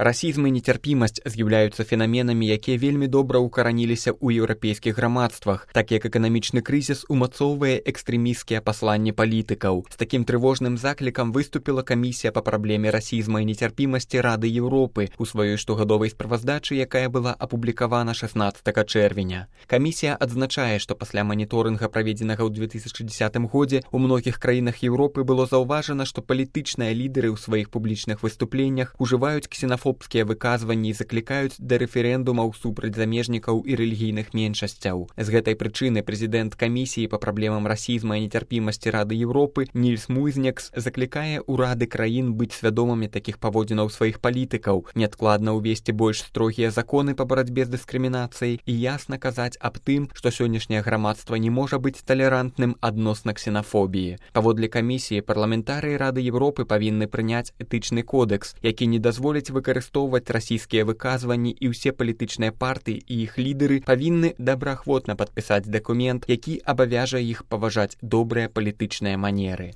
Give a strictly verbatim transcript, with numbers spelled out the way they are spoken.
Расізм і нецярпімасць з'яўляюцца фенаменамі, якія вельмі добра ўкараніліся ў еўрапейскіх грамадствах, так як эканамічны крызіс умацоўвае экстрэмісцкія пасланні палітыкаў. З такім трывожным заклікам выступіла камісія па праблеме расізма і нецярпімасці Рады Еўропы у сваёй штогадовай справаздачы, якая была апублікавана шаснаццатага чэрвеня. Камісія адзначае, што пасля маніторынга, праведзенага ў две тысячы дзесятым годзе, у многіх краінах Еўропы было заўважана, што палітычныя лідары ў сваіх публічных выступленнях ужываюць ксенафобскія выказванні і заклікаюць да рэферэндумаў супраць замежнікаў і рэлігійных меншасцяў. З гэтай прычыны прэзідэнт камісіі па праблемам расізма і нецярпімасці Рады Еўропы Нільс Муйзнекс заклікае ўрады краін быць свядомымі такіх паводзінаў сваіх палітыкаў, неадкладна ўвесці больш строгія законы па барацьбе з дыскрымінацыяй і ясна казаць аб тым, што сённяшняе грамадства не можа быць талерантным адносна ксенафобіі. Паводле камісіі, парламентарыі Рады Еўропы павінны прыняць этычны кодэкс, які не дазволіць выкарыстоўваць расійскія выказванні, і ўсе палітычныя партыі і іх лідары павінны добраахвотна падпісаць дакумент, які абавяжа іх паважаць добрыя палітычныя манеры.